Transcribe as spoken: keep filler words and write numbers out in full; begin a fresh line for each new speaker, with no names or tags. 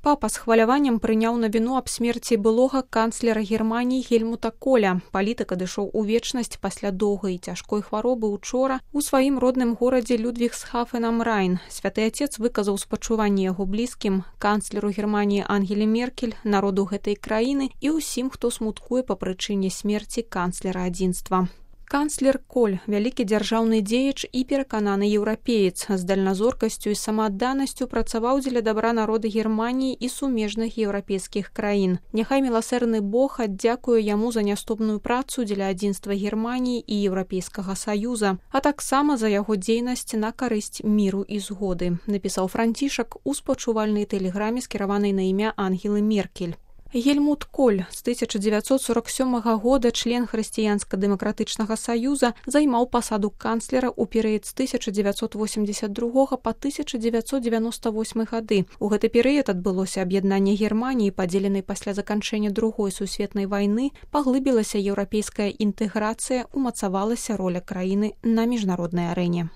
Папа з хваляваннем прыняў навіну аб смерці былога канцлера Германіі Гельмута Коля. Палітык адышоў у вечнасць пасля доўгай і цяжкой хваробы учора у сваім родным горадзе Людвігсхафен am Райн. Святы Отец выказаў спачуванне яго блізкім, канцлеру Германіі Ангеле Меркель, народу гэтай краіны і ўсім, хто смуткуе па прычыне смерці канцлера адзінства. Канцлер Коль – вялікі дзяржаўны дзеяч і перакананы еўрапеец. З дальназоркасцю і самаадданасцю працаваў дзеля дабра народа Германіі і сумежных еўрапейскіх краін. Няхай міласэрны Бог аддзякуе яму за няступную працу дзеля адзінства Германіі і Еўрапейскага Саюза, а таксама за яго дзейнасць на карысць міру і згоды, напісаў Францішак у спачувальнай тэлеграме, скіраванай на імя Ангелы Меркель. Гельмут Коль з тысяча дзевяцьсот сорок сёмага года член Хрысціянска-дэмакратычнага саюза займаў пасаду канцлера ў перыяд з тысяча дзевяцьсот восемьдесят другога па тысяча дзевяцьсот девяносто восьмы гады. У гэты перыяд адбылося аб'яднанне Германіі, падзеленай пасля заканчэння другой сусветнай вайны, паглыбілася еўрапейская інтэграцыя, умацавалася роля краіны на міжнароднай арэне.